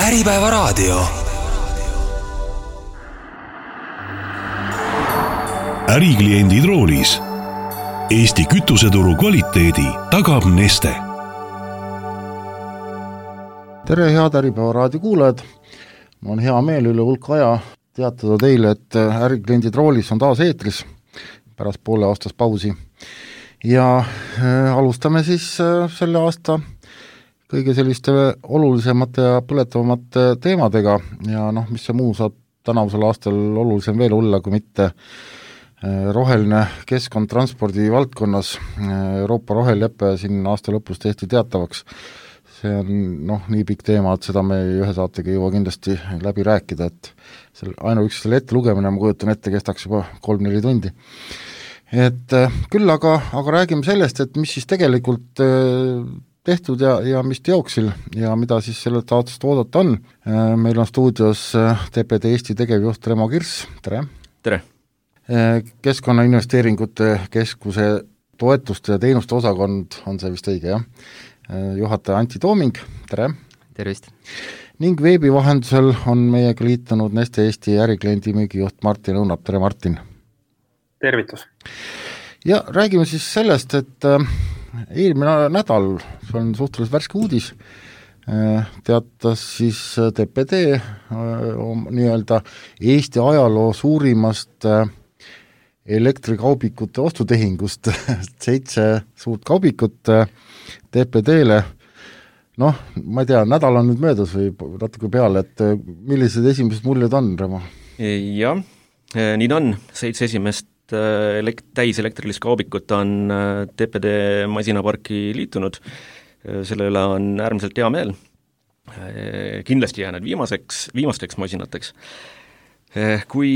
Äripäevaraadio. Ärikliendid roolis. Eesti kütuseturu kvaliteedi tagab Neste. Tere, head Äripäevaraadio kuulajad! Mul on hea meel üle hulk aja teatada teile, et Ärikliendid roolis on taas eetris pärast poole aastas pausi. Ja alustame siis selle aasta kõige selliste olulisemate ja põletavamate teemadega ja mis see muu saab tänavusel aastal olulisem veel olla, kui mitte roheline keskkond transpordi valdkonnas. Euroopa roheleppe siin aasta lõpus tehti teatavaks. See on nii pikk teema, et seda me ühe saatega ei jõua kindlasti läbi rääkida, et ainuüksi selle ette lugemine, ma kujutan ette, kestaks juba 3-4 tundi. Et küll aga räägime sellest, et mis siis tegelikult tehtud ja mis teoksil ja mida siis sellelt aastast oodata on. Meil on stuudios TPD Eesti tegevjuht Remo Kirss, tere! Tere! Keskkonnainvesteeringute keskuse toetuste ja teenuste osakond, on see vist õige, jah? Juhataja Antti Tooming, tere! Tervist! Ning veebi vahendusel on meiega liitunud Neste Eesti ärikliendi müügijuht Martin Õunap, tere Martin! Tervitus! Ja räägime siis sellest, et eelmine nädal, see on suhteliselt värske uudis, teatas siis TPD nii-öelda Eesti ajaloo suurimast elektrikaubikute ostutehingust 7 suurt kaubikut TPD-le. Ma ei tea, nädal on nüüd möödas või natuke peale, et millised esimesed muljed on, Remo? Jah, nii on 7 esimest täiselektrilis kaubikut on TPD masinaparki liitunud, selle üle on äärmiselt hea meel, kindlasti jäänud viimasteks masinateks. Kui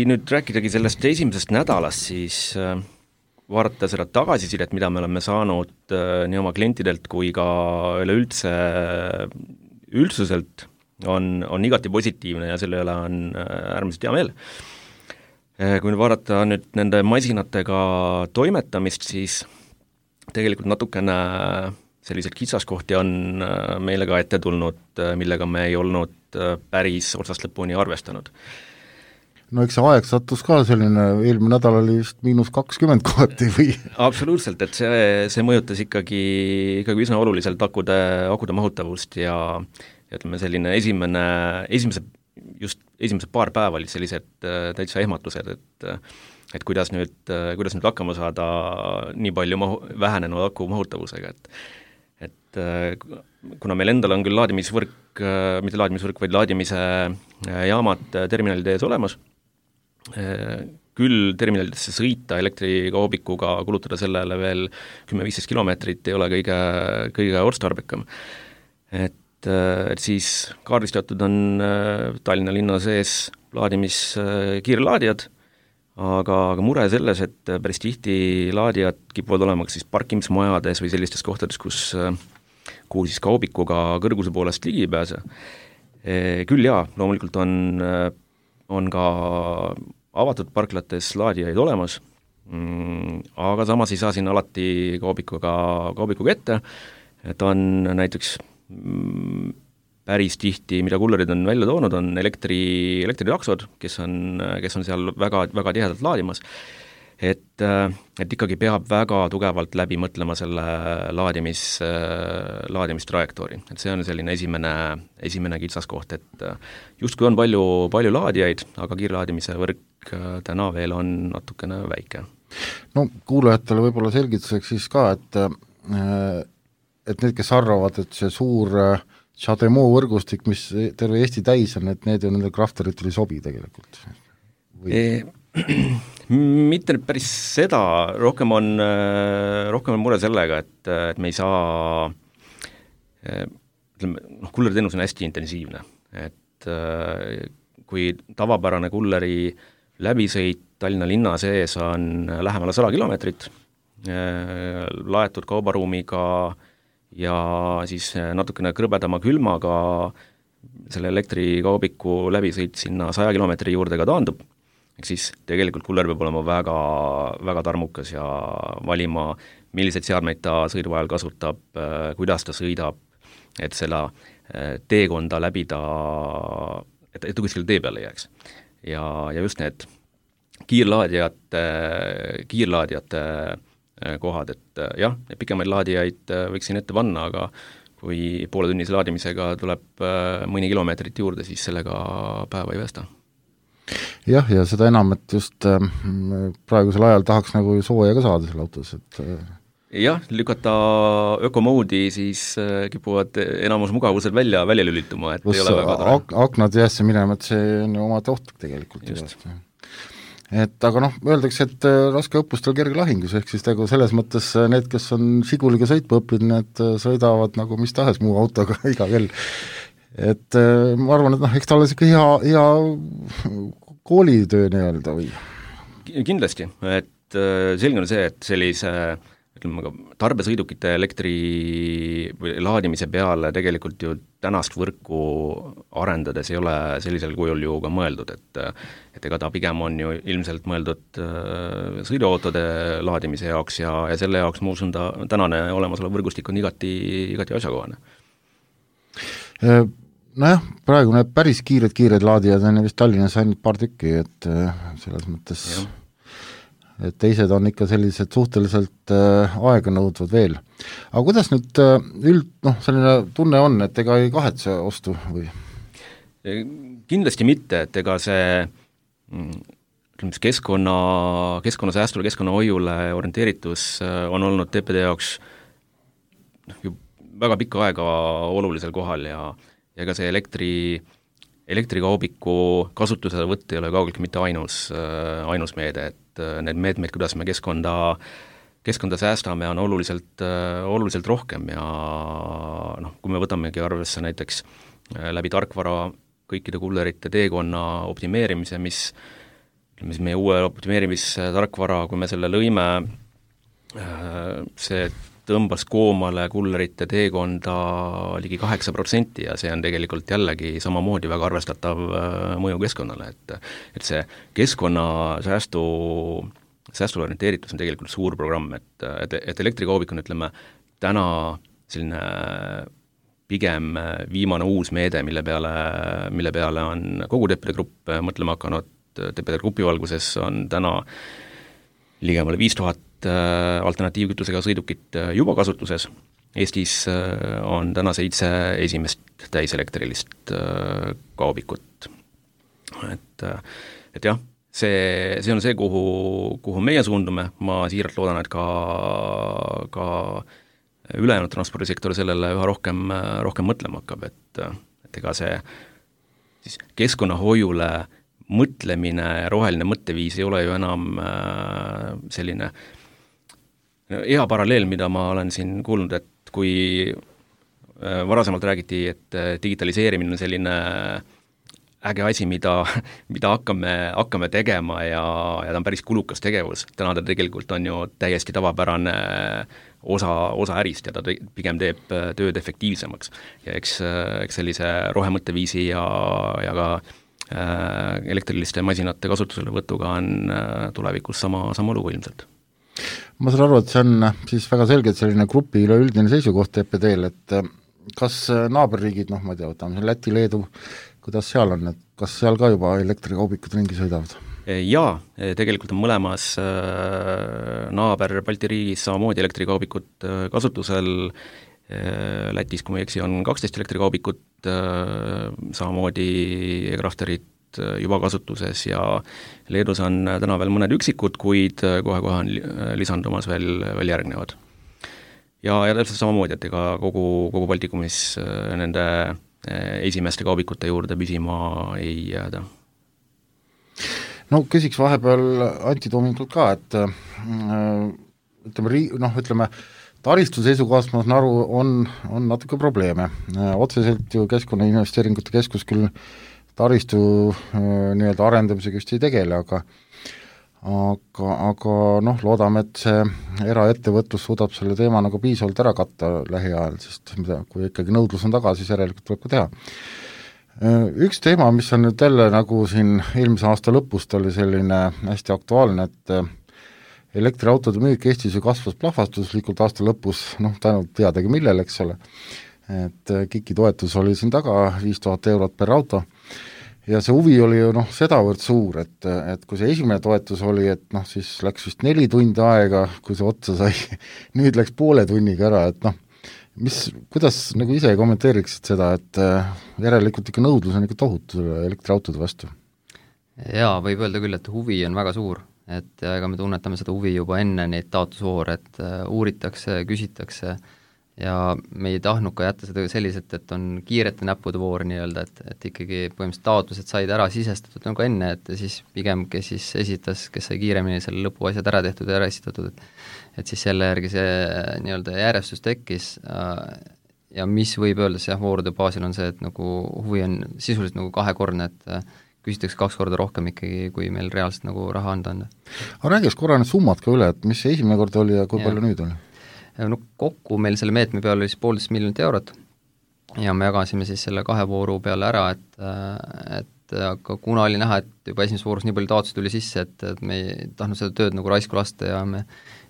nüüd rääkidagi sellest esimesest nädalast, siis vaadata seda tagasisidet, mida me oleme saanud nii oma klientidelt kui ka üleüldse üldsuselt, on igati positiivne ja selle üle on äärmiselt hea meel. Kui vaadata nüüd nende masinatega toimetamist, siis tegelikult natukene sellised kitsaskohti on meile ka ette tulnud, millega me ei olnud päris otsast lõpuni arvestanud. Eks see aeg sattus ka selline, eelmine nädal oli vist -20 kohati või? Absoluutselt, et see mõjutas ikkagi üsna oluliselt akude mahutavust ja ütleme selline esimesed paar päeva olid sellised täitsa ehmatused, et kuidas nüüd hakkama saada nii palju vähenenud aku mahutavusega, et kuna meil endal on küll laadimisvõrk, mitte laadimisvõrk, vaid laadimise jaamad terminalide ees olemas, küll terminalidesse sõita elektrikaubikuga, kulutada sellele veel 10-15 kilomeetrit ei ole kõige otstarbekam. Et siis kaardistatud on Tallinna linna sees kiirlaadijad, aga mure selles, et päris tihti laadijad kipuvad olema siis parkimismajades või sellistes kohtades, kuhu siis kaubikuga kõrguse poolest ligi ei pääse. Küll jaa, loomulikult on ka avatud parklates laadijaid olemas, aga samas ei saa siin alati kaubikuga ette, et on näiteks päris tihti, mida kullerid on välja toonud, on elektritaksod, kes on seal väga, väga tihedalt laadimas, et ikkagi peab väga tugevalt läbi mõtlema selle laadimistrajektoori. Et see on selline esimene kitsaskoht, et justkui on palju laadijaid, aga kiirlaadimise võrk täna veel on natukene väike. Kuulajatele võib-olla selgituseks siis ka, et need, kes arvavad, et see suur CHAdeMO võrgustik, mis terve Eesti täis on, et need ju nende krafteritele ei sobi tegelikult? Mitte nüüd päris seda, rohkem on mure sellega, et me ei saa, kulleriteenus on hästi intensiivne, et kui tavapärane kulleri läbisõit Tallinna linna sees on lähemale 100 kilomeetrit, laetud kaubaruumiga ja siis natukene krõbedama külmaga selle elektrikaubiku läbisõit sinna 100 kilomeetri juurde ka taandub, ehk siis tegelikult kuller peab olema väga, väga tarmukas ja valima, milliseid seadmeid ta sõidu ajal kasutab, kuidas ta sõidab, et seda teekonda läbida, et ta kuskil tee peale jääks. Ja just need kiirlaadijate kohad, et jah, pikemaid laadijaid võiksin ette panna, aga kui pooletunnise laadimisega tuleb mõni kilomeetrit juurde, siis sellega päeva ei päästa. Jah, ja seda enam, et just praegusel ajal tahaks nagu sooja ka saada selle autos, et jah, lükata ökomoodi, siis kipuvad enamus mugavused välja lülituma, et ei ole väga tore. Aknad jäässe minema, et see on ju omad ohtlik tegelikult. Et aga öeldakse, et raske õppustel kerge lahingus, ehk siis selles mõttes need, kes on Žiguliga sõitma õppinud, need sõidavad nagu mis tahes muu autoga iga kell. Et ma arvan, et eks ta ole siuke hea koolitöö nii-öelda või? Kindlasti, et selge on see, et sellise tarbesõidukite elektri või laadimise peale tegelikult ju tänast võrku arendades ei ole sellisel kujul ju ka mõeldud, et ega ta pigem on ju ilmselt mõeldud sõiduautode laadimise jaoks ja selle jaoks ma usun ta tänane olemasolev võrgustik on igati asjakohane. Nojah, praegu need päris kiired laadijad on vist Tallinnas ainult paar tükki, et selles mõttes et teised on ikka sellised suhteliselt aega nõudvad veel. Aga kuidas nüüd selline tunne on, et ega ei kahetse ostu või? Kindlasti mitte, et ega see keskkonnasäästule, keskkonnahoiule orienteeritus on olnud TPD jaoks ju väga pikka aega olulisel kohal ja ega see elektrikaubiku kasutuselevõtt ei ole kaugeltki mitte ainus meede, et need meetmeid, kuidas me keskkonda säästame, on oluliselt rohkem ja kui me võtamegi arvesse näiteks läbi tarkvara kõikide kullerite teekonna optimeerimise, mis meie uue optimeerimistarkvara, kui me selle lõime, see tõmbas koomale kullerite teekonda ligi 8% ja see on tegelikult jällegi samamoodi väga arvestatav mõju keskkonnale, et see keskkonnasäästule orienteeritus on tegelikult suur programm, et elektrikaubik on, ütleme, täna selline pigem viimane uus meede, mille peale on kogu TPD Grupp mõtlema hakanud. TPD Grupi valguses on täna ligemale 5000 alternatiivkütusega sõidukit juba kasutuses. Eestis on täna 7 esimest täiselektrilist kaubikut. Et jah, see on see, kuhu meie suundume. Ma siiralt loodan, et ka ülejäänud transpordisektor sellele üha rohkem mõtlema hakkab, et ega see siis keskkonnahoiule mõtlemine ja roheline mõtteviis ei ole ju enam selline hea paralleel, mida ma olen siin kuulnud, et kui varasemalt räägiti, et digitaliseerimine on selline äge asi, mida hakkame tegema ja ta on päris kulukas tegevus. Täna ta tegelikult on ju täiesti tavapärane osa ärist ja ta pigem teeb tööd efektiivsemaks. Ja eks sellise rohemõtteviisi ja ka elektriliste masinate kasutuselevõtuga on tulevikus sama lugu ilmselt. Ma saan aru, et see on siis väga selgelt selline grupi üleüldine seisukoht TPD-l, et kas naaberriigid, ma ei tea, võtame Läti, Leedu, kuidas seal on, et kas seal ka juba elektrikaubikud ringi sõidavad? Jaa, tegelikult on mõlemas naaber Balti riigis samamoodi elektrikaubikud kasutusel. Lätis, kui ma ei eksi, on 12 elektrikaubikut, samamoodi e-crafterid juba kasutuses ja Leedus on täna veel mõned üksikud, kuid kohe on lisandumas veel järgnevad. Ja täpselt samamoodi, et ega kogu Baltikumis nende esimeste kaubikute juurde püsima ei jääda. No küsiks vahepeal Antti Toominkult ka, et ütleme taristu seisukohast ma saan aru, on natuke probleeme. Otseselt ju Keskkonnainvesteeringute Keskus küll taristu nii-öelda arendamisega just ei tegele, aga loodame, et see eraettevõtlus suudab selle teema nagu piisavalt ära katta lähiajal, sest kui ikkagi nõudlus on taga, siis järelikult tuleb ka teha. Üks teema, mis on nüüd jälle nagu siin eelmise aasta lõpust oli selline hästi aktuaalne, et elektriautode müük Eestis ju kasvas plahvatuslikult aasta lõpus, tänu teadagi millele, eks ole. et KIK-i toetus oli siin taga 5000 eurot per auto ja see huvi oli ju sedavõrd suur, et kui see esimene toetus oli, et siis läks vist 4 tundi aega, kui see otsa sai, nüüd läks poole tunniga ära, et kuidas nagu ise kommenteeriksid seda, et järelikult ikka nõudlus on ikka tohutu elektriautode vastu? Jaa, võib öelda küll, et huvi on väga suur, et ega me tunnetame seda huvi juba enne neid taotlusvoore, et uuritakse, küsitakse ja me ei tahtnud ka jätta seda selliselt, et on kiirete näppude voor nii-öelda, et ikkagi põhimõtteliselt taotlused said ära sisestatud nagu enne, et siis pigem, kes siis esitas, kes sai kiiremini selle lõpuasjad ära tehtud ja ära esitatud, et siis selle järgi see nii-öelda järjestus tekkis ja mis võib öelda jah, voorude baasil on see, et nagu huvi on sisuliselt nagu kahekordne, et küsitakse 2 korda rohkem ikkagi, kui meil reaalselt nagu raha anda. Aga räägiks korra need summad ka üle, et mis see esimene kord oli ja kui palju nüüd oli? No kokku meil selle meetme peal oli siis 1,5 miljonit eurot ja me jagasime siis selle 2 vooru peale ära, et aga kuna oli näha, et juba esimeses voorus nii palju taotlusi tuli sisse, et me ei tahtnud seda tööd nagu raisku lasta ja me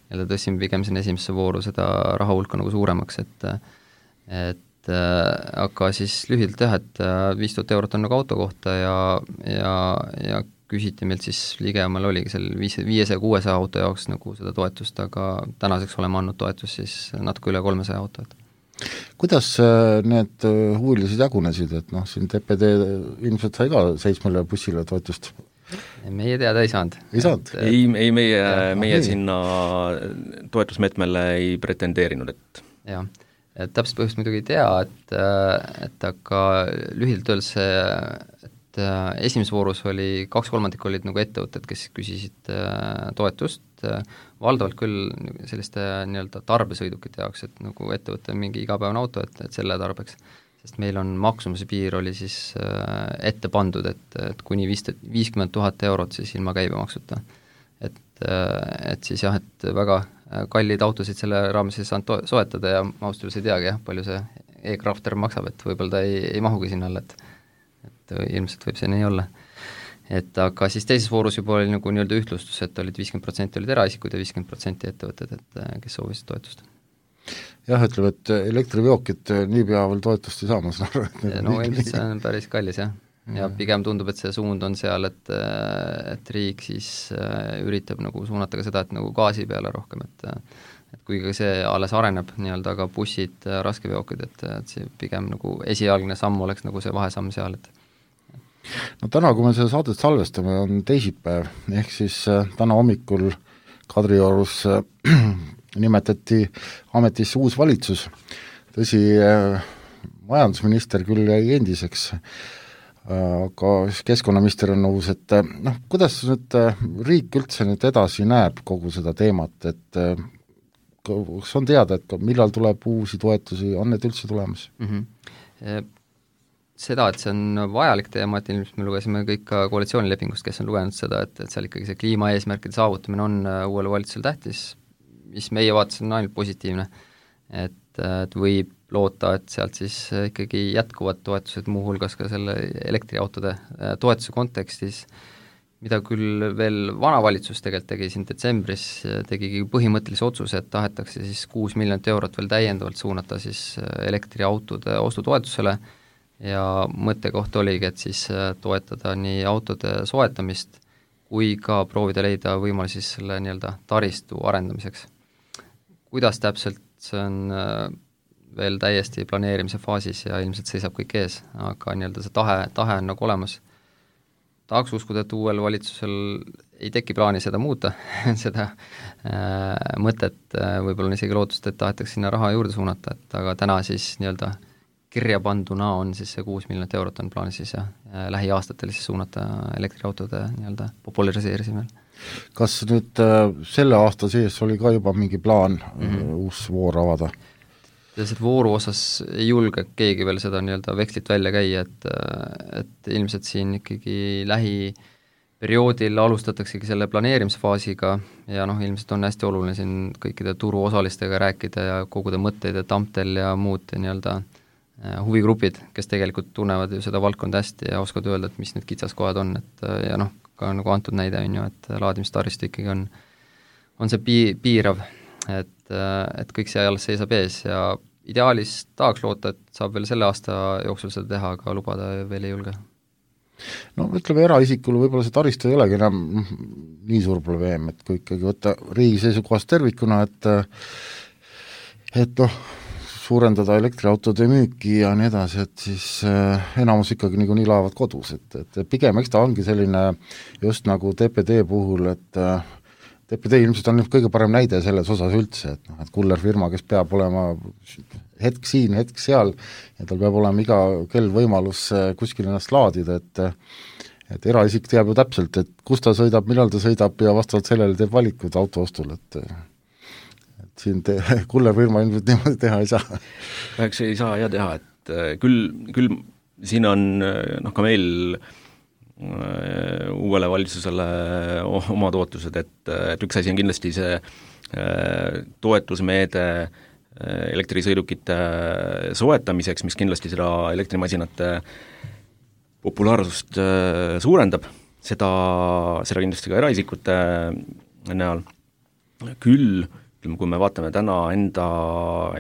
jälle tõstsime pigem sinna esimesse vooru seda raha hulka nagu suuremaks, et aga siis lühidalt jah, et 5000 eurot on nagu auto kohta ja küsiti meilt siis ligemal oligi seal 500-600 auto jaoks nagu seda toetust, aga tänaseks oleme andnud toetust siis natuke üle 300 auto. Kuidas need huvilised jagunesid, et siin TPD ilmselt sai ka 7 bussile toetust? Meie teada ei saanud. Ei saanud? Ei meie sinna toetusmeetmele ei pretendeerinud, et jah, et täpselt põhjust muidugi ei tea, et aga lühidalt öeldes et esimeses voorus oli 2/3 olid nagu ettevõtted, kes küsisid toetust, valdavalt küll selliste nii-öelda tarbesõidukite jaoks, et nagu ettevõtte mingi igapäevane auto, et selle tarbeks, sest meil on maksumuse piir oli siis ette pandud, et kuni 50 000 eurot siis ilma käibemaksuta. Et siis jah, et väga kallid autosid selle raames ei saanud soetada ja ma ausalt öeldes ei teagi jah, palju see e-Crafter maksab, et võib-olla ta ei mahugi sinna alla, et ilmselt võib see nii olla. Et aga siis teises voorus juba oli nagu nii-öelda ühtlustus, et olid 50% olid eraisikud ja 50% ettevõtted, et kes soovisid toetust. Jah, ütleme, et elektriveokid niipea veel toetust ei saa, ma saan aru. No ilmselt see on päris kallis, jah. Ja pigem tundub, et see suund on seal, et riik siis üritab nagu suunata ka seda, et nagu gaasi peale rohkem, et kuigi see alles areneb nii-öelda, aga bussid, raskeveokid, et see pigem nagu esialgne samm oleks nagu see vahesamm seal, et no täna, kui me seda saadet salvestame, on teisipäev, ehk siis täna hommikul Kadriorus nimetati ametisse uus valitsus. Tõsi, majandusminister küll jäi endiseks, aga keskkonnaminister on uus, et kuidas nüüd riik üldse nüüd edasi näeb kogu seda teemat, et kas on teada, et millal tuleb uusi toetusi, on need üldse tulemas? Seda, et see on vajalik teema, et ilmselt me lugesime kõik ka koalitsioonilepingust, kes on lugenud seda, et seal ikkagi see kliimaeesmärkide saavutamine on uuele valitsusele tähtis, mis meie vaates on ainult positiivne, et võib loota, et sealt siis ikkagi jätkuvad toetused, muuhulgas ka selle elektriautode toetuse kontekstis, mida küll veel vana valitsus tegelikult tegi siin detsembris, tegigi põhimõttelise otsuse, et tahetakse siis 6 miljonit eurot veel täiendavalt suunata siis elektriautode ostutoetusele ja mõttekoht oligi, et siis toetada nii autode soetamist kui ka proovida leida võimalusi siis selle nii-öelda taristu arendamiseks. Kuidas täpselt, see on veel täiesti planeerimise faasis ja ilmselt seisab kõik ees, aga nii-öelda see tahe on nagu olemas. Tahaks uskuda, et uuel valitsusel ei teki plaani seda muuta, seda mõtet, võib-olla on isegi lootust, et tahetakse sinna raha juurde suunata, et aga täna siis nii-öelda kirja panduna on siis see 6 miljonit eurot on plaanis siis ja lähiaastatel siis suunata elektriautode nii-öelda populariseerisimel. Kas nüüd selle aasta sees oli ka juba mingi plaan uus voor avada? Sellised vooru osas ei julge keegi veel seda nii-öelda vekslit välja käia, et ilmselt siin ikkagi lähiperioodil alustataksegi selle planeerimisfaasiga ja ilmselt on hästi oluline siin kõikide turuosalistega rääkida ja koguda mõtteid ja Tamtel ja muud nii-öelda huvigrupid, kes tegelikult tunnevad ju seda valdkonda hästi ja oskavad öelda, et mis need kitsaskohad on, et ja ka nagu antud näide on ju, et laadimistaristu ikkagi on see piirav, et kõik see alles seisab ees ja ideaalis tahaks loota, et saab veel selle aasta jooksul seda teha, aga lubada veel ei julge. No ütleme, eraisikul võib-olla see taristu ei olegi enam nii suur probleem, et kui ikkagi võtta riigi seisukohast tervikuna, et suurendada elektriautode müüki ja nii edasi, et siis enamus ikkagi niikuinii laevad kodus, et pigem eks ta ongi selline just nagu TPD puhul, et TPD ilmselt on kõige parem näide selles osas üldse, et kullerfirma, kes peab olema hetk siin, hetk seal ja tal peab olema iga kell võimalus kuskil ennast laadida, et eraisik teab ju täpselt, et kus ta sõidab, millal ta sõidab ja vastavalt sellele teeb valikud auto ostul, et siin kullerfirma ilmselt niimoodi teha ei saa. Eks ei saa teha, et küll siin on ka meil uuele valitsusele omad ootused, et üks asi on kindlasti see toetusmeede elektrisõidukite soetamiseks, mis kindlasti seda elektrimasinate populaarsust suurendab, seda kindlasti ka eraisikute näol. Küll kui me vaatame täna enda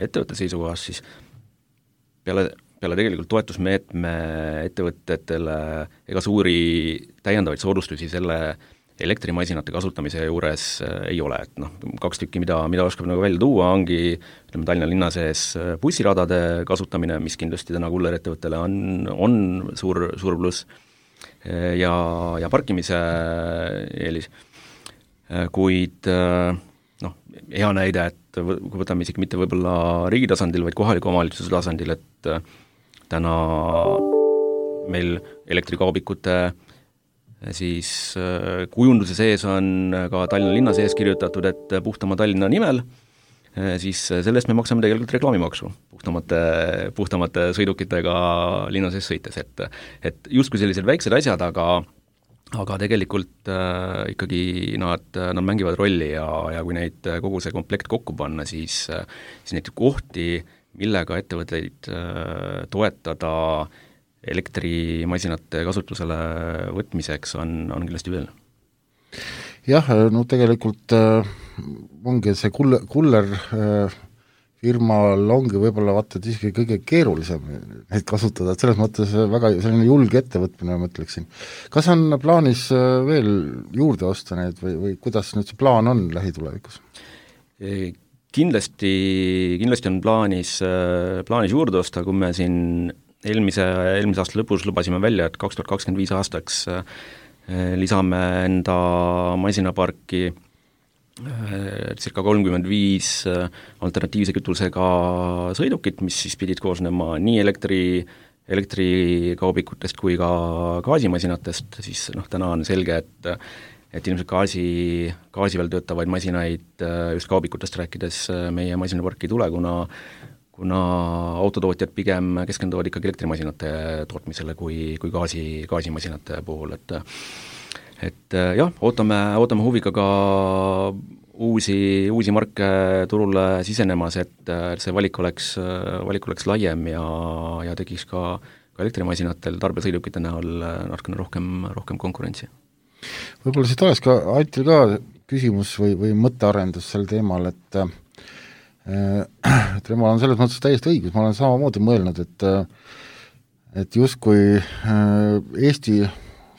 ettevõtte seisukohast, siis peale tegelikult toetusmeetme ettevõtetele ega suuri täiendavaid soodustusi selle elektrimasinate kasutamise juures ei ole, et 2 tükki, mida oskab nagu välja tuua, ongi Tallinna linna sees bussiradade kasutamine, mis kindlasti täna kullerettevõttele on suur pluss ja parkimise eelis, kuid hea näide, et kui võtame isegi mitte võib-olla riigi tasandil, vaid kohaliku omavalitsuse tasandil, et täna meil elektrikaubikute siis kujunduse sees on ka Tallinna linna sees kirjutatud, et puhtama Tallinna nimel, siis selle eest me maksame tegelikult reklaamimaksu puhtamate sõidukitega linna sees sõites, et justkui sellised väiksed asjad, aga tegelikult ikkagi nad mängivad rolli ja kui neid kogu see komplekt kokku panna, siis neid kohti, millega ettevõtteid toetada elektrimasinate kasutusele võtmiseks on kindlasti veel. Jah, tegelikult ongi see kuller firmal ongi võib-olla vaata, et isegi kõige keerulisem neid kasutada, et selles mõttes väga selline julge ettevõtmine, ma ütleksin. Kas on plaanis veel juurde osta neid või kuidas nüüd see plaan on lähitulevikus? Kindlasti on plaanis juurde osta, kui me siin eelmise aasta lõpus lubasime välja, et 2025 aastaks lisame enda masinaparki circa 35 alternatiivse kütusega sõidukit, mis siis pidid koosnema nii elektrikaubikutest kui ka gaasimasinatest, siis täna on selge, et ilmselt gaasi veel töötavaid masinaid just kaubikutest rääkides meie masinaparki ei tule, kuna autotootjad pigem keskenduvad ikkagi elektrimasinate tootmisele kui gaasimasinate puhul, et jah, ootame huviga ka uusi marke turule sisenemas, et see valik oleks laiem ja tekiks ka elektrimasinatel tarbesõidukite näol natukene rohkem konkurentsi. Võib-olla siit oleks ka Antil ka küsimus või mõttearendus sel teemal, et temal on selles mõttes täiesti õigus, ma olen samamoodi mõelnud, et justkui Eesti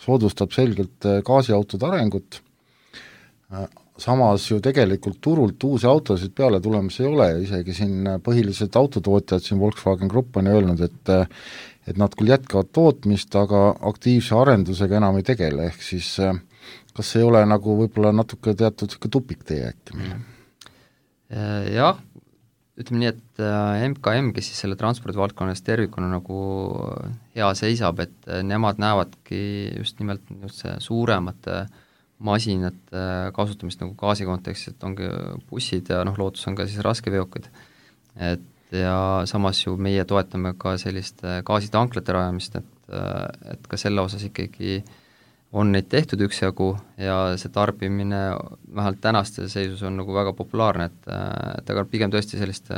soodustab selgelt gaasiautode arengut, samas ju tegelikult turult uusi autosid peale tulemas ei ole, isegi siin põhilised autotootjad, siin Volkswagen Grupp on öelnud, et nad küll jätkavad tootmist, aga aktiivse arendusega enam ei tegele, ehk siis kas ei ole nagu võib-olla natuke teatud tupiktee äkki? Jah, ütleme nii, et MKM, kes siis selle transpordivaldkonnas tervikuna nagu hea seisab, et nemad näevadki just nimelt suuremate masinate kasutamist nagu gaasi kontekstis, et ongi bussid ja lootus on ka siis raskeveokid. Et ja samas ju meie toetame ka sellist gaasitanklate rajamist, et ka selle osas ikkagi on neid tehtud üksjagu ja see tarbimine vähemalt tänaste seisus on nagu väga populaarne, et aga pigem tõesti sellist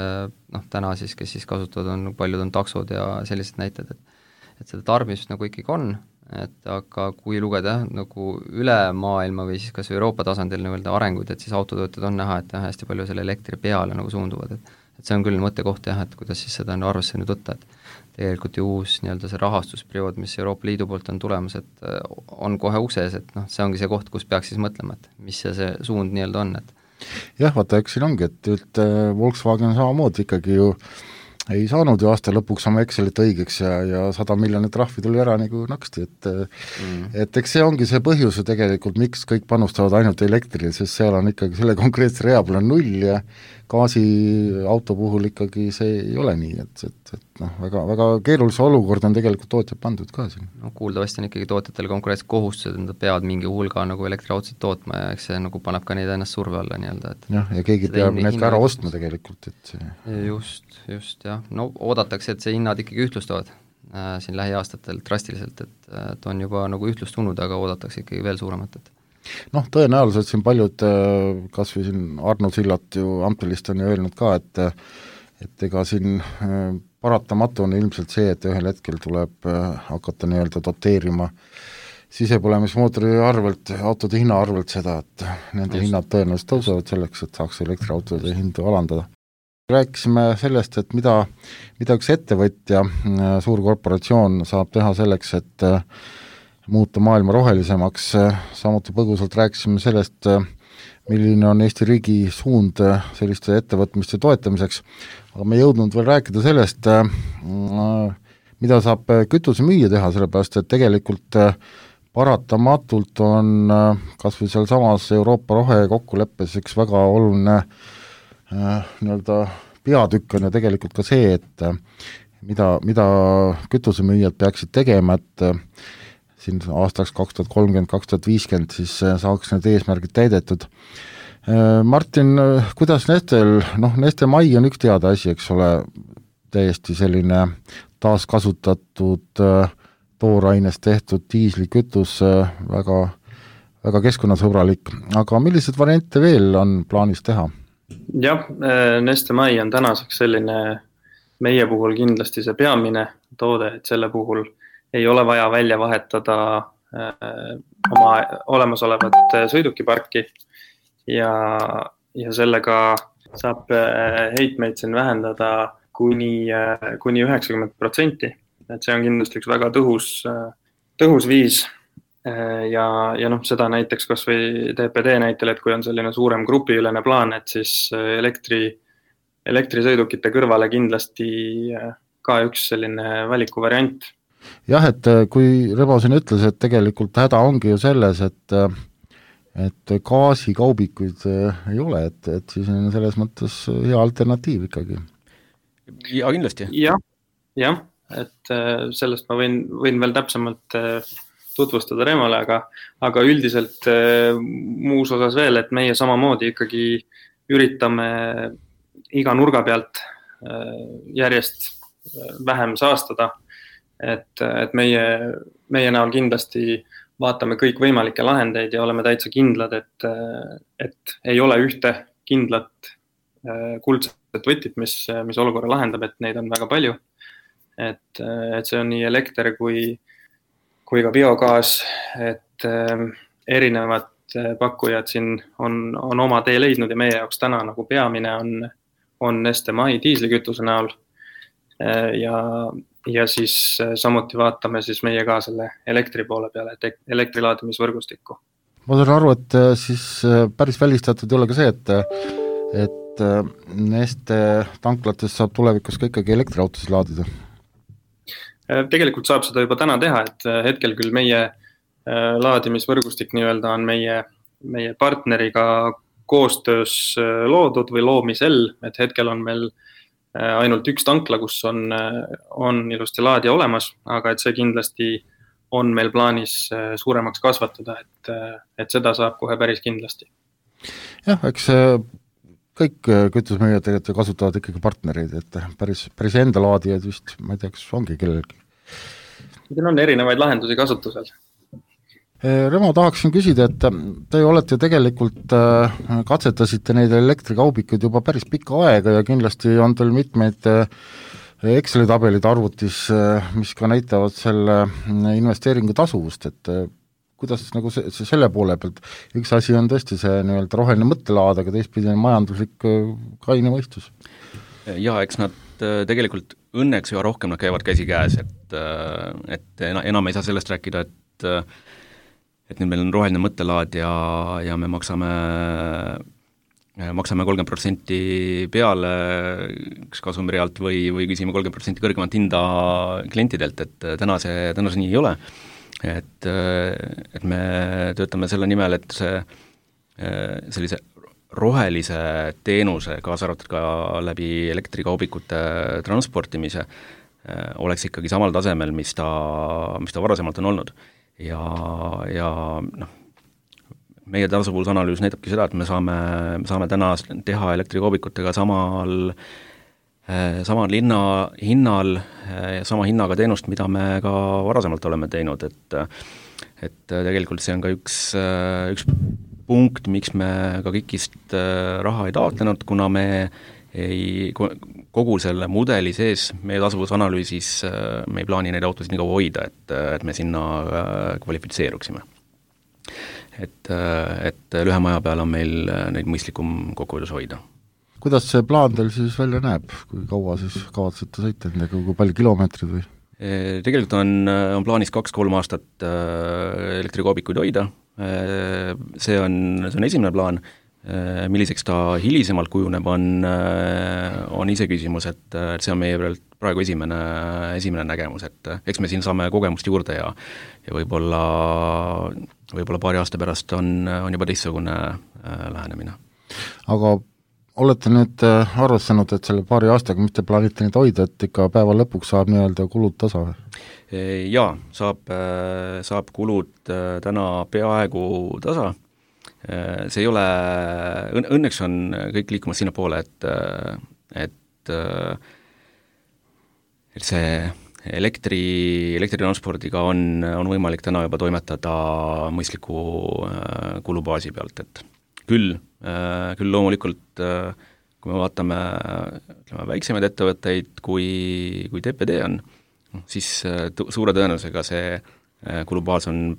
täna siis, kes siis kasutavad, paljud on taksod ja sellised näited, et seda tarbimist nagu ikkagi on, et aga kui lugeda nagu üle maailma või siis kas Euroopa tasandil nii-öelda arenguid, et siis autotöötajad on näha, et hästi palju selle elektri peale nagu suunduvad, et et see on küll mõttekoht jah, et kuidas siis seda arvesse nüüd võtta, et tegelikult ju uus nii-öelda see rahastusperiood, mis Euroopa Liidu poolt on tulemas, et on kohe ukses, et noh, see ongi see koht, kus peaks siis mõtlema, et mis see suund nii-öelda on, et jah, vaata, eks siin ongi, et Volkswagen samamoodi ikkagi ju ei saanud ju aasta lõpuks oma Excelit õigeks ja 100 miljonit trahvi tuli ära nagu naksti, et eks see ongi see põhjus ju tegelikult, miks kõik panustavad ainult elektrile, sest seal on ikkagi selle konkreetse rea peal on 0 ja gaasiauto puhul ikkagi see ei ole nii, et noh, väga keerulise olukord on tegelikult tootjad pandud ka siin. No kuuldavasti on ikkagi tootjatel konkurentsed kohustused, nad peavad mingi hulga nagu elektriautosid tootma ja eks see nagu paneb ka neid ennast surve alla nii-öelda, et jah, ja keegi peab need ka ära ostma tegelikult, et see just jah, no oodatakse, et see hinnad ikkagi ühtlustuvad siin lähiaastatel drastiliselt, et on juba nagu ühtlustunud, aga oodatakse ikkagi veel suuremat, et noh, tõenäoliselt siin paljud, kas või siin Arno Sillat ju Amtelist on ju öelnud ka, et ega siin paratamatu on ilmselt see, et ühel hetkel tuleb hakata nii-öelda doteerima sisepõlemismootori arvelt, autode hinna arvelt seda, et nende hinnad tõenäoliselt tõusevad selleks, et saaks elektriautode hindu alandada. Rääkisime sellest, et mida üks ettevõtja, suur korporatsioon saab teha selleks, et muuta maailma rohelisemaks, samuti põgusalt rääkisime sellest, milline on Eesti riigi suund selliste ettevõtmiste toetamiseks, aga me ei jõudnud veel rääkida sellest, mida saab kütusemüüja teha, sellepärast et tegelikult paratamatult on kas või seal samas Euroopa rohekokkuleppes üks väga oluline nii-öelda peatükk on ja tegelikult ka see, et mida kütusemüüjad peaksid tegema, et siin aastaks 2030, 2050 siis saaks need eesmärgid täidetud. Martin, kuidas Neste Mai on üks teada asi, eks ole, täiesti selline taaskasutatud toorainest tehtud diislikütus, väga, väga keskkonnasõbralik, aga millised variante veel on plaanis teha? Jah, Neste Mai on tänaseks selline meie puhul kindlasti see peamine toode, et selle puhul ei ole vaja välja vahetada oma olemasolevat sõidukiparki, ja sellega saab heitmeid siin vähendada kuni 90%, et see on kindlasti üks väga tõhus viis ja seda näiteks kas või TPD näitel, et kui on selline suurem grupiülene plaan, et siis elektrisõidukite kõrvale kindlasti ka üks selline valikuvariant. Jah, et kui Rebo siin ütles, et tegelikult häda ongi ju selles, et gaasikaubikuid ei ole, et siis on selles mõttes hea alternatiiv ikkagi. Ja kindlasti. Jah, et sellest ma võin veel täpsemalt tutvustada Remole, aga üldiselt muus osas veel, et meie samamoodi ikkagi üritame iga nurga pealt järjest vähem saastada, et meie näol kindlasti vaatame kõik võimalikke lahendeid ja oleme täitsa kindlad, et ei ole ühte kindlat kuldset võtit, mis olukorra lahendab, et neid on väga palju. Et see on nii elekter kui ka biogaas, et erinevad pakkujad siin on oma tee leidnud ja meie jaoks täna nagu peamine on Neste Mai diislikütuse näol ja siis samuti vaatame siis meie ka selle elektri poole peale, et elektrilaadimisvõrgustikku. Ma saan aru, et siis päris välistatud ei ole ka see, et Neste tanklates saab tulevikus ka ikkagi elektriautosid laadida? Tegelikult saab seda juba täna teha, et hetkel küll meie laadimisvõrgustik nii-öelda on meie partneriga koostöös loodud või loomisel, et hetkel on meil ainult üks tankla, kus on ilusti laadija olemas, aga et see kindlasti on meil plaanis suuremaks kasvatada, et seda saab kohe päris kindlasti. Jah, eks kõik kütusmüüjad tegelikult kasutavad ikkagi partnereid, et päris enda laadijad vist, ma ei tea, kas ongi kellelgi. Siin on erinevaid lahendusi kasutusel. Remo, tahaksin küsida, et te olete tegelikult katsetasite neid elektrikaubikuid juba päris pikka aega ja kindlasti on teil mitmeid Exceli tabelid arvutis, mis ka näitavad selle investeeringu tasuvust, et kuidas nagu selle poole pealt, üks asi on tõesti see nii-öelda roheline mõttelaad, aga teistpidi on majanduslik kaine mõistus? Ja eks nad tegelikult õnneks üha rohkem nad käivad käsikäes, et enam ei saa sellest rääkida, et nüüd meil on roheline mõttelaad ja me maksame 30% peale kasumirialt või küsime 30% kõrgemat hinda klientidelt, et täna see nii ei ole. Et me töötame selle nimel, et sellise rohelise teenuse, kaasa arvatud ka läbi elektrikaubikute transportimise, oleks ikkagi samal tasemel, mis ta varasemalt on olnud. Ja meie tasuvusanalüüs näitabki seda, et me saame täna teha elektrikaubikutega samal hinnal ja sama hinnaga teenust, mida me ka varasemalt oleme teinud, et tegelikult see on ka üks punkt, miks me ka KIK-ist raha ei taotlenud, kuna me kogu selle mudeli sees meie tasuvusanalüüsis me ei plaani neid autosid nii kaua hoida, et me sinna kvalifitseeruksime. Et lühema aja peal on meil neid mõistlikum kokkuhoidus hoida. Kuidas see plaan teil siis välja näeb, kui kaua siis kavatsete sõita nendega, kui palju kilomeetrid või? Tegelikult on plaanis 2-3 aastat elektrikaubikuid hoida, see on esimene plaan, milliseks ta hilisemalt kujuneb, on ise küsimus, et see on meie praegu esimene nägemus, et eks me siin saame kogemust juurde ja võib-olla paari aasta pärast on juba teistsugune lähenemine. Aga olete nüüd arvestanud, et selle paari aastaga mitte plaanite neid hoida, et ikka päeva lõpuks saab nii-öelda kulud tasa? Jaa, saab kulud täna peaaegu tasa. See ei ole, õnneks on kõik liikumas sinna poole, et see elektritranspordiga on võimalik täna juba toimetada mõistliku kulubaasi pealt, et küll loomulikult, kui me vaatame väiksemaid ettevõtteid, kui TPD on, siis suure tõenäosusega see kulubaas on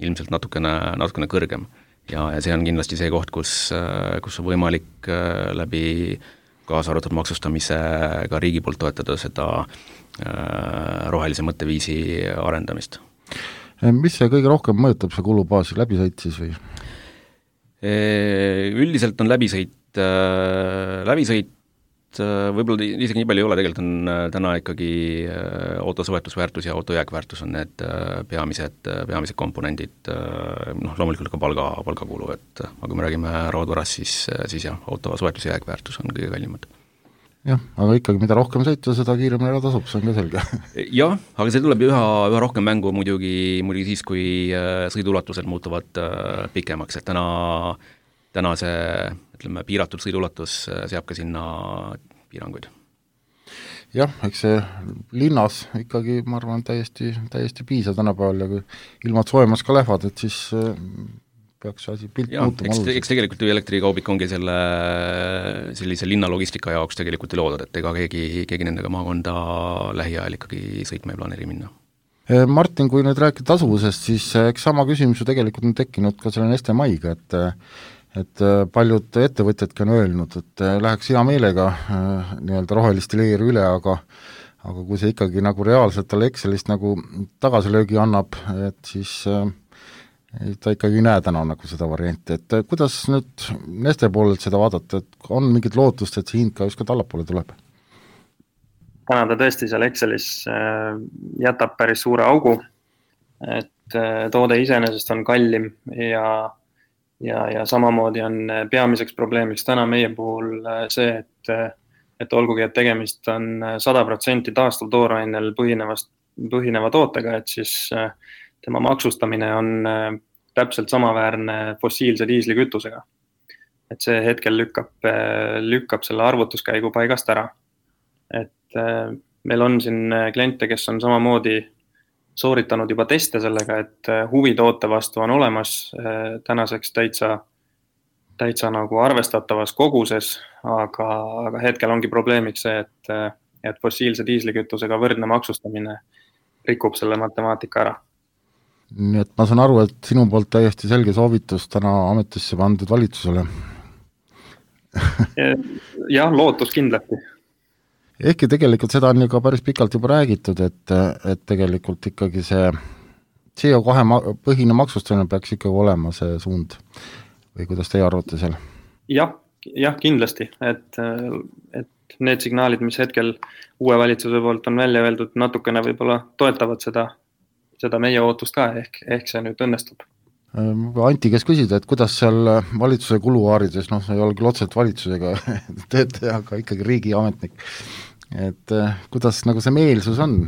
ilmselt natukene kõrgem. Ja see on kindlasti see koht, kus on võimalik läbi kaasa arvatud maksustamise ka riigi poolt toetada seda rohelise mõtteviisi arendamist. Mis see kõige rohkem mõjutab see kulubaasi, läbisõit siis või? Üldiselt on läbisõit võib-olla isegi nii palju ei ole, tegelikult on täna ikkagi auto soetusväärtus ja auto jääkväärtus on need peamised komponendid, loomulikult ka palgakulu, et aga kui me räägime raudvarast, siis jah, auto soetus ja jääkväärtus on kõige kallimad. Jah, aga ikkagi mida rohkem sõita, seda kiiremini ära tasub, see on ka selge. Jah, aga see tuleb üha rohkem mängu muidugi siis, kui sõiduulatused muutuvad pikemaks, et täna see piiratud sõiduulatus seab ka sinna piiranguid. Jah, eks see linnas ikkagi, ma arvan, täiesti piisav tänapäeval ja kui ilmad soojemas ka lähevad, et siis peaks asi pilt muutuma oluliselt. Eks tegelikult elektrikaubik ongi sellise linnalogistika jaoks tegelikult ei loodud, et ega keegi nendega maakonda lähiajal ikkagi sõitma ei planeeri minna. Martin, kui nüüd rääkida tasuvusest, siis eks sama küsimus ju tegelikult on tekkinud ka selle Neste Maiga, et paljud ettevõtjadki on öelnud, et läheks hea meelega nii-öelda rohelist leeri üle, aga kui see ikkagi nagu reaalselt talle Excelist nagu tagasilöögi annab, et siis ta ikkagi ei näe täna nagu seda varianti, et kuidas nüüd Neste poolelt seda vaadata, et on mingit lootust, et see hind ka just ka tallapoole tuleb? Täna ta tõesti seal Excelis jätab päris suure augu, et toode iseenesest on kallim ja samamoodi on peamiseks probleemiks täna meie puhul see, et olgugi, et tegemist on 100% taastuv toorainel põhineva tootega, et siis tema maksustamine on täpselt samaväärne fossiilse diislikütusega. Et see hetkel lükkab selle arvutuskäigu paigast ära. Et meil on siin kliente, kes on samamoodi sooritanud juba teste sellega, et huvi toote vastu on olemas tänaseks täitsa nagu arvestatavas koguses, aga hetkel ongi probleemiks see, et fossiilse diislikütusega võrdne maksustamine rikub selle matemaatika ära. Nii et ma saan aru, et sinu poolt täiesti selge soovitus täna ametisse pandud valitsusele. jah, lootus kindlasti. Ehkki tegelikult seda on ju ka päris pikalt juba räägitud, et tegelikult ikkagi see CO2 põhine maksustamine peaks ikkagi olema see suund või kuidas teie arvate seal? Jah, kindlasti, et need signaalid, mis hetkel uue valitsuse poolt on välja öeldud, natukene võib-olla toetavad seda meie ootust ka, ehk see nüüd õnnestub. Anti, kes küsida, et kuidas seal valitsuse kuluaarides, see ei ole küll otseselt valitsusega töötaja, aga ikkagi riigiametnik, et kuidas nagu see meelsus on?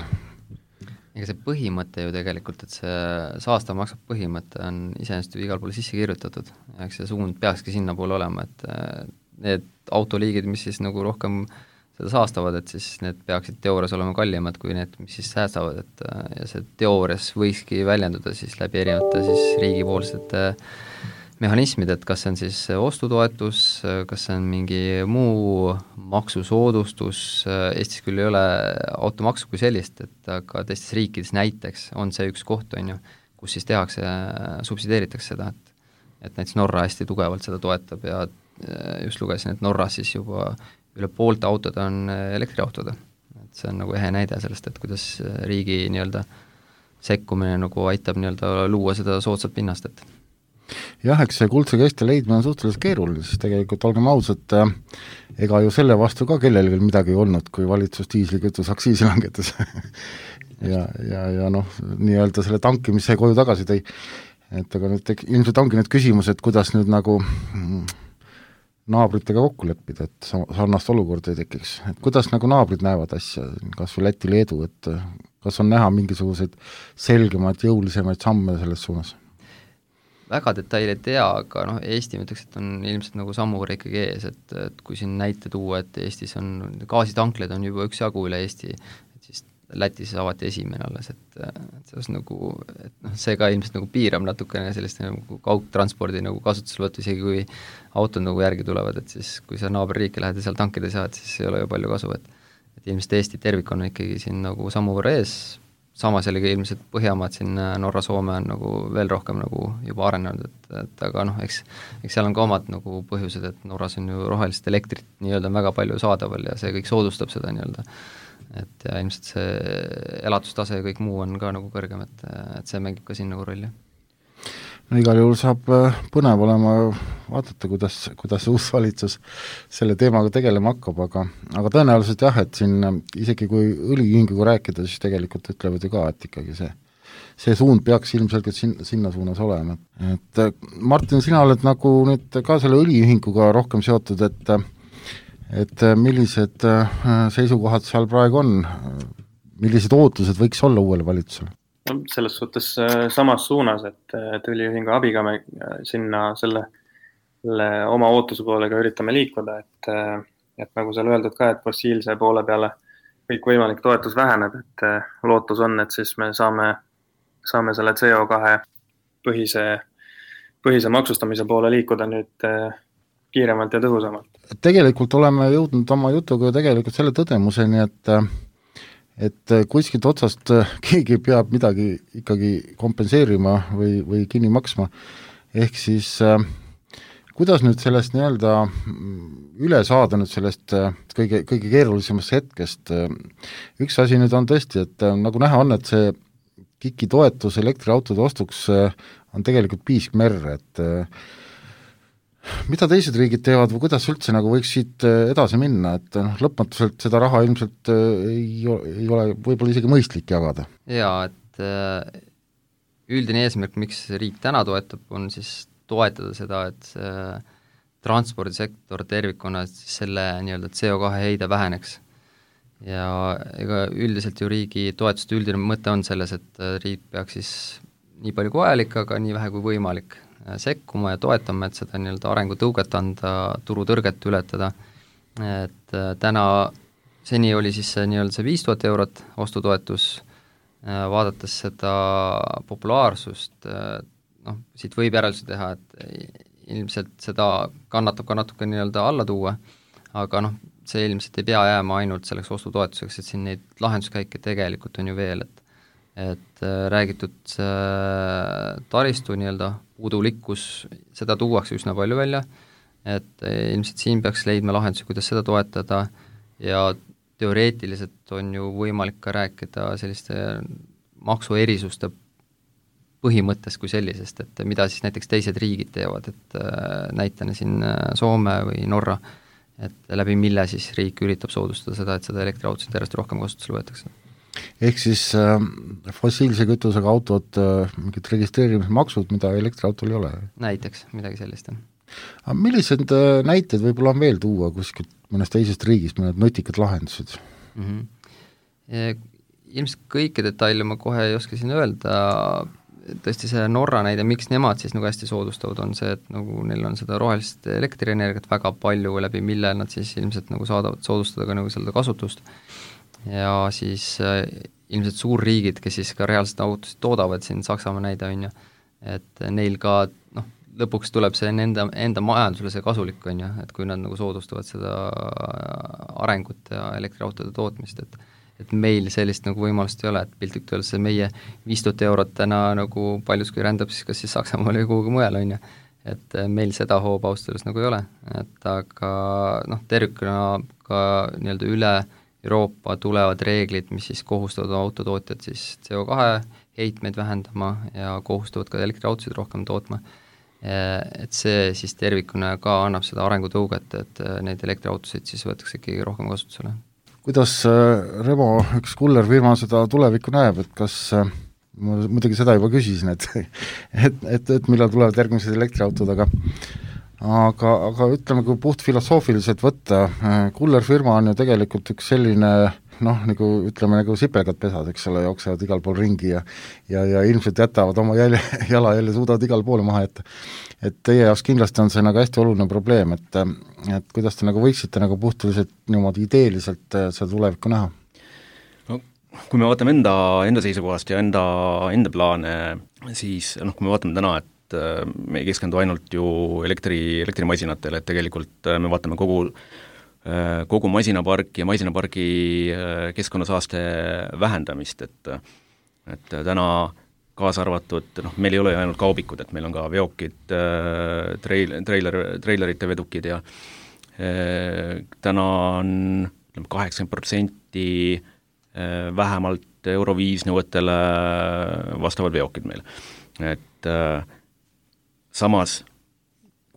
Ega see põhimõte ju tegelikult, et see saastav maksab põhimõte on iseenesest ju igal poole sisse kirjutatud, eks see suund peakski sinna poole olema, et need autoliigid, mis siis nagu rohkem seda saastavad, et siis need peaksid teoorias olema kallimad kui need, mis siis säästavad, et ja see teoorias võikski väljenduda siis läbi erinevate siis riigipoolsete mehhanismid, et kas see on siis ostutoetus, kas see on mingi muu maksusoodustus, Eestis küll ei ole automaksu kui sellist, et aga teistes riikides näiteks on see üks koht, on ju, kus siis tehakse, subsideeritakse seda, et näiteks Norra hästi tugevalt seda toetab ja just lugesin, et Norras siis juba üle poolte autod on elektriautod, et see on nagu ehe näide sellest, et kuidas riigi nii-öelda sekkumine nagu aitab nii-öelda luua seda soodsat pinnast, et jah, eks see kuldse keste leidmine on suhteliselt keeruline, siis tegelikult olgem ausad, ega ju selle vastu ka kellelgi midagi ei olnud, kui valitsus diislikütus aktsiisi langetas ja nii-öelda selle tankimise koju tagasi tõi, et aga nüüd ilmselt ongi need küsimus, et kuidas nüüd nagu naabritega kokku leppida, et sarnast olukorda ei tekiks, et kuidas nagu naabrid näevad asja, kas või Läti, Leedu, et kas on näha mingisuguseid selgemaid, jõulisemaid samme selles suunas? Väga detaili ei tea, aga Eesti ma ütleks, et on ilmselt nagu sammu võrra ikkagi ees, et kui siin näite tuua, et Eestis on gaasitankleid on juba üksjagu üle Eesti, et siis Lätis avati esimene alles, et see on nagu, see ka ilmselt nagu piirab natukene sellist nagu kaugtranspordi nagu kasutuselevõttu, isegi kui autod nagu järgi tulevad, et siis kui sa naaberriiki lähed ja seal tankida saad, siis ei ole ju palju kasu, et ilmselt Eesti tervik on ikkagi siin nagu sammu võrra ees, samas jällegi ilmselt Põhjamaad siin Norra, Soome on nagu veel rohkem nagu juba arenenud, et aga eks seal on ka omad nagu põhjused, et Norras on ju rohelist elektrit nii-öelda väga palju saadaval ja see kõik soodustab seda nii-öelda, et ja ilmselt see elatustase ja kõik muu on ka nagu kõrgem, et see mängib ka siin nagu rolli. No igal juhul saab põnev olema vaadata, kuidas uus valitsus selle teemaga tegelema hakkab, aga tõenäoliselt jah, et siin isegi kui õliühinguga rääkida, siis tegelikult ütlevad ju ka, et ikkagi see suund peaks ilmselgelt sinna suunas olema. Et Martin, sina oled nagu nüüd ka selle õliühinguga rohkem seotud, et millised seisukohad seal praegu on, millised ootused võiks olla uuele valitsusele? Selles suhtes samas suunas, et õliühingu abiga me sinna selle oma ootuse poolega üritame liikuda, et nagu seal öeldud ka, et fossiilse poole peale kõik võimalik toetus väheneb, et lootus on, et siis me saame selle CO2 põhise maksustamise poole liikuda nüüd kiiremalt ja tõhusamalt. Tegelikult oleme jõudnud oma jutuga tegelikult selle tõdemuseni, et kuskilt otsast keegi peab midagi ikkagi kompenseerima või kinni maksma, ehk siis kuidas nüüd sellest nii-öelda üle saada nüüd sellest kõige keerulisemast hetkest, üks asi nüüd on tõesti, et nagu näha on, et see KIK-i toetus elektriautode ostuks on tegelikult piisk merre, et mida teised riigid teevad või kuidas üldse nagu võiks siit edasi minna, et lõpmatuselt seda raha ilmselt ei ole võib-olla isegi mõistlik jagada? Jaa, et üldine eesmärk, miks riik täna toetab, on siis toetada seda, et see transpordisektor tervikuna, selle nii-öelda CO2 heide väheneks. Ja ega üldiselt ju riigi toetuste üldine mõte on selles, et riik peaks siis nii palju kui vajalik, aga nii vähe kui võimalik sekkuma ja toetama, et seda nii-öelda arengutõuget anda, turutõrget ületada, et täna seni oli siis see nii-öelda see 5000 eurot ostutoetus, vaadates seda populaarsust, siit võib järeldusi teha, et ilmselt seda kannatab ka natuke nii-öelda alla tuua, aga see ilmselt ei pea jääma ainult selleks ostutoetuseks, et siin neid lahenduskäike tegelikult on ju veel, et räägitud taristu nii-öelda puudulikkus, seda tuuakse üsna palju välja, et ilmselt siin peaks leidma lahendusi, kuidas seda toetada ja teoreetiliselt on ju võimalik ka rääkida selliste maksuerisuste põhimõttest kui sellisest, et mida siis näiteks teised riigid teevad, et näitena siin Soome või Norra, et läbi mille siis riik üritab soodustada seda, et seda elektriautosid järjest rohkem kasutusele võetakse. Ehk siis fossiilse kütusega autod, mingid registreerimismaksud, mida elektriautol ei ole? Näiteks, midagi sellist. Aga millised näited võib-olla on veel tuua kuskilt mõnest teisest riigist, mõned nutikad lahendused? Ilmselt kõiki detaile ma kohe ei oska siin öelda, tõesti see Norra näide, miks nemad siis nagu hästi soodustavad, on see, et nagu neil on seda rohelist elektrienergiat väga palju, läbi mille nad siis ilmselt nagu saadavad soodustada ka nagu seda kasutust ja siis ilmselt suurriigid, kes siis ka reaalselt autosid toodavad, siin Saksamaa näide on ju, et neil ka lõpuks tuleb see enda majandusele see kasulik on ju, et kui nad nagu soodustavad seda arengut ja elektriautode tootmist, et meil sellist nagu võimalust ei ole, et piltlikult öeldes see meie 5000 eurot täna nagu paljuski rändab siis kas siis Saksamaal või kuhugi mujal on ju, et meil seda hooba austustes nagu ei ole, et aga tervikuna ka nii-öelda üle Euroopa tulevad reeglid, mis siis kohustavad autotootjad siis CO2 heitmeid vähendama ja kohustavad ka elektriautosid rohkem tootma, et see siis tervikuna ka annab seda arengutõuget, et neid elektriautosid siis võetakse ikkagi rohkem kasutusele. Kuidas Remo, üks kullerfirma seda tulevikku näeb, et kas, ma muidugi seda juba küsisin, et millal tulevad järgmised elektriautod, aga ütleme, kui puht filosoofiliselt võtta, kullerfirma on ju tegelikult üks selline nagu ütleme, nagu sipelgad pesad, eks ole, jooksevad igal pool ringi ja ilmselt jätavad oma jala jälle suudavad igal poole maha jätta. Et teie jaoks kindlasti on see nagu hästi oluline probleem, et kuidas te nagu võiksite nagu puhtiliselt niimoodi ideeliselt seda tulevikku näha? No, kui me vaatame enda seisukohast ja enda plaane, siis kui me vaatame täna, et me ei keskendu ainult ju elektrimasinatele, et tegelikult me vaatame kogu masinaparki ja masinapargi keskkonnasaaste vähendamist, et täna kaasa arvatud, meil ei ole ju ainult kaubikud, et meil on ka veokid, treilerite vedukid ja täna on 80% vähemalt Euro 5 nõuetele vastavad veokid meil. Et samas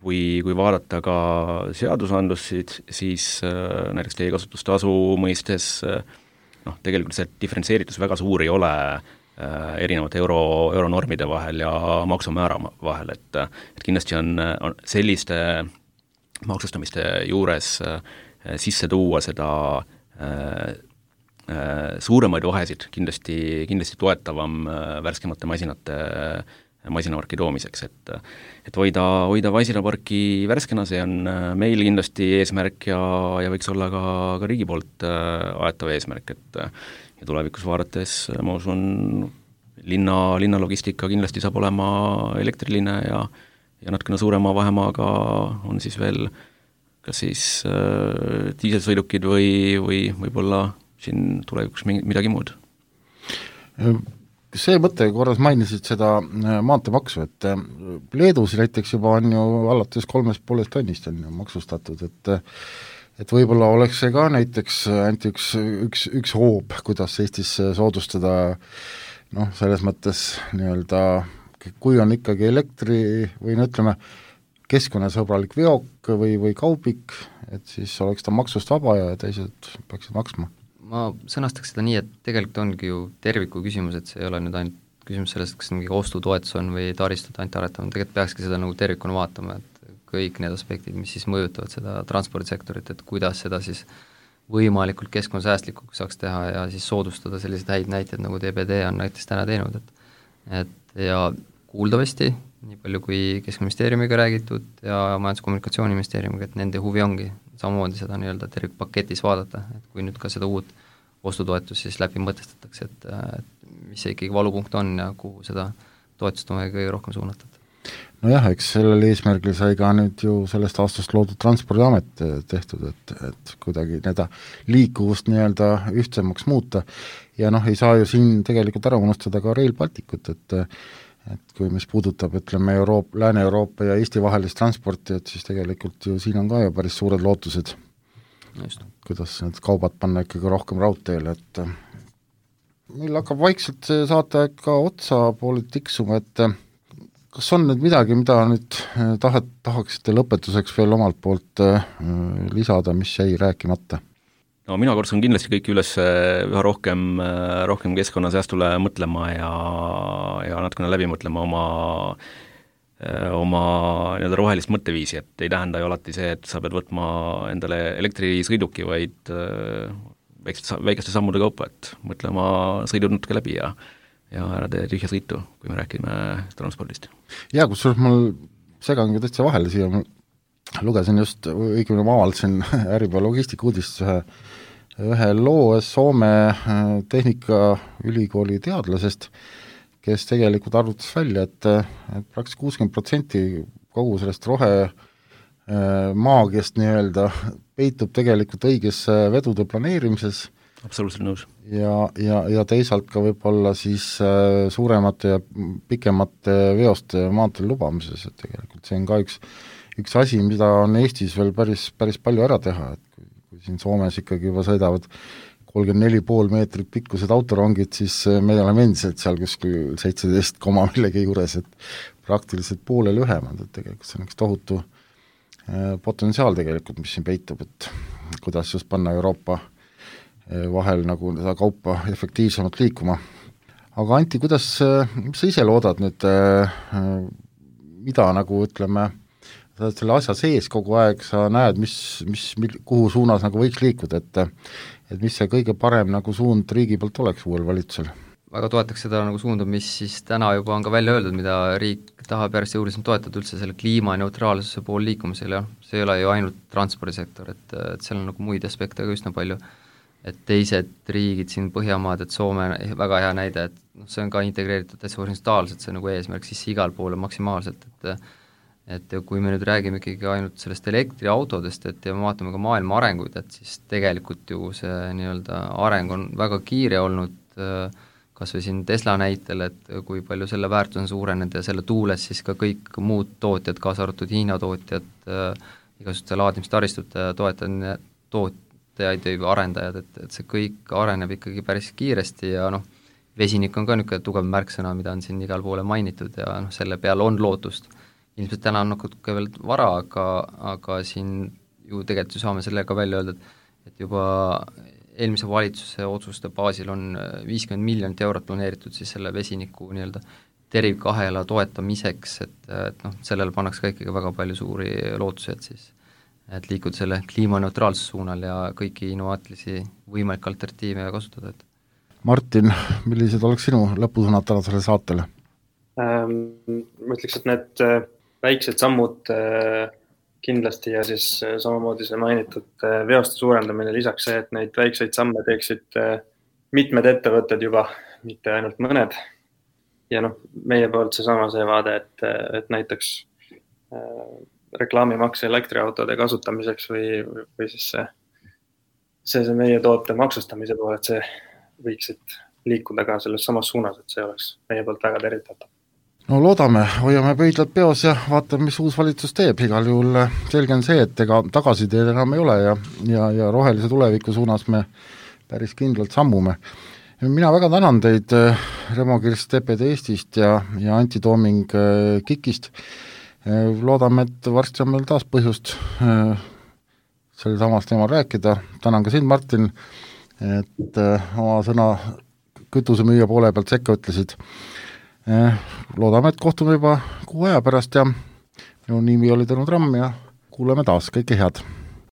kui vaadata ka seadusandlust, siis näiteks teekasutustasu mõistes tegelikult see diferentseeritus väga suur ei ole erinevate euronormide vahel ja maksumäära vahel, et kindlasti on selliste maksustamiste juures sisse tuua seda suuremaid vahesid kindlasti toetavam värskemate masinaparki toomiseks, et hoida masinaparki värskena, see on meil kindlasti eesmärk ja võiks olla ka riigi poolt aetav eesmärk, et ja tulevikus vaadates ma usun, linna logistika kindlasti saab olema elektriline ja natukene suurema vahemaaga on siis veel kas siis diiselsõidukid või võib-olla siin tulevikus midagi muud. See mõte, korras mainisid seda maanteemaksu, et Leedus näiteks juba on ju alates 3,5 tonnist on ju maksustatud, et võib-olla oleks see ka näiteks ainult üks hoob, kuidas Eestis soodustada selles mõttes nii-öelda, kui on ikkagi elektri või ütleme, keskkonnasõbralik veok või kaubik, et siis oleks ta maksust vaba ja teised peaksid maksma. Ma sõnastaks seda nii, et tegelikult ongi ju terviku küsimus, et see ei ole nüüd ainult küsimus sellest, kas mingi ostutoetus on või taristut ainult aretama, tegelikult peakski seda nagu tervikuna vaatama, et kõik need aspektid, mis siis mõjutavad seda transpordisektorit, et kuidas seda siis võimalikult keskkonnasäästlikuks saaks teha ja siis soodustada selliseid häid näiteid, nagu DPD on näiteks täna teinud, et ja kuuldavasti, nii palju kui Keskkonnaministeeriumiga räägitud ja Majandus- ja Kommunikatsiooniministeeriumiga, et nende huvi ongi samamoodi seda nii-öelda tervikpaketis vaadata, et kui nüüd ka seda uut ostutoetus siis läbi mõtestatakse, et mis see ikkagi valupunkt on ja kuhu seda toetust on kõige rohkem suunatud. Nojah, eks sellel eesmärgil sai ka nüüd ju sellest aastast loodud Transpordiamet tehtud, et kuidagi seda liikuvust nii-öelda ühtsemaks muuta ja ei saa ju siin tegelikult ära unustada ka Rail Balticut, et kui mis puudutab, ütleme, Lääne-Euroopa ja Eesti vahelist transporti, et siis tegelikult ju siin on ka ju päris suured lootused, kuidas need kaubad panna ikkagi rohkem raudteele, et meil hakkab vaikselt see saateaeg ka otsa poole tiksuma, et kas on nüüd midagi, mida nüüd tahaksite lõpetuseks veel omalt poolt lisada, mis jäi rääkimata? No mina kutsun kindlasti kõiki üles üha rohkem keskkonnasäästule mõtlema ja natukene läbi mõtlema oma nii-öelda rohelist mõtteviisi, et ei tähenda ju alati see, et sa pead võtma endale elektrisõiduki, vaid väikeste sammude kaupa, et mõtle oma sõidud natuke läbi ja ära tee tühja sõitu, kui me räägime transpordist. Jaa, kusjuures mul segan ka täitsa vahele siia, ma lugesin just, õigemini ma avaldasin Äripäeva logistika uudist ühe loo Soome Tehnikaülikooli teadlasest, kes tegelikult arvutas välja, et praktiliselt 60% kogu sellest maagiast nii-öelda peitub tegelikult õiges vedude planeerimises. Absoluutselt nõus. Ja teisalt ka võib-olla siis suuremate ja pikemate veoste maanteel lubamises, et tegelikult see on ka üks asi, mida on Eestis veel päris palju ära teha, et kui siin Soomes ikkagi juba sõidavad 34,5 meetrit pikkused autorongid, siis me oleme endiselt seal kuskil 17, millegi juures, et praktiliselt poole lühemad, et tegelikult see on üks tohutu potentsiaal tegelikult, mis siin peitub, et kuidas just panna Euroopa vahel nagu seda kaupa efektiivsemalt liikuma. Aga Anti, mis sa ise loodad nüüd, mida nagu ütleme, sa oled selle asja sees kogu aeg, sa näed, kuhu suunas nagu võiks liikuda, et mis see kõige parem nagu suund riigi poolt oleks uuel valitsusel? Väga toetaks seda nagu suunda, mis siis täna juba on ka välja öeldud, mida riik tahab järjest jõuliselt toetada üldse selle kliimaneutraalsuse pool liikumisel, ja see ei ole ju ainult transpordisektor, et seal on nagu muid aspekte ka üsna palju, et teised riigid siin Põhjamaad, et Soome väga hea näide, et see on ka integreeritud täitsa horisontaalselt, see nagu eesmärk siis igal poole maksimaalselt, et kui me nüüd räägime ikkagi ainult sellest elektriautodest, et ja me vaatame ka maailma arenguid, et siis tegelikult ju see nii-öelda areng on väga kiire olnud, kas või siin Tesla näitel, et kui palju selle väärtus on suurenenud ja selle tuules siis ka kõik muud tootjad, kaasa arvatud Hiina tootjad, igasuguste laadimistaristute tootjaid või arendajad, et see kõik areneb ikkagi päris kiiresti ja vesinik on ka niisugune tugev märksõna, mida on siin igal poole mainitud ja selle peale on lootust. Ilmselt täna on natuke veel vara, aga siin ju tegelikult ju saame sellega välja öelda, et juba eelmise valitsuse otsuste baasil on 50 miljonit eurot planeeritud siis selle vesiniku nii-öelda tervikahela toetamiseks, et sellele pannakse ka ikkagi väga palju suuri lootusi, et liikuda selle kliimaneutraalsuse suunal ja kõiki innovaatilisi võimalikke alternatiive kasutada. Martin, millised oleks sinu lõpusõnad tänasele saatele? Ma ütleks, et need väiksed sammud kindlasti ja siis samamoodi see mainitud veoste suurendamine, lisaks see, et neid väikseid samme teeksid mitmed ettevõtted juba, mitte ainult mõned. Ja meie poolt see vaade, et näiteks reklaamimaks elektriautode kasutamiseks või siis see meie toote maksustamise poole, et see võiksid liikuda ka selles samas suunas, et see oleks meie poolt väga tervitatav. No loodame, hoiame pöidlad peos ja vaatame, mis uus valitsus teeb, igal juhul selge on see, et ega tagasiteed enam ei ole ja rohelise tuleviku suunas me päris kindlalt sammume. Mina väga tänan teid, Remo Kirst TPD Eestist ja Anti Tooming KIK-ist. Loodame, et varsti on meil taas põhjust selle samast teemal rääkida. Tänan ka sind, Martin, et oma sõna kütusemüüja poole pealt sekka ütlesid. Loodame, et kohtume juba 6 aja pärast ja minu nimi oli Tõnu Tramm ja kuuleme taas, kõike head!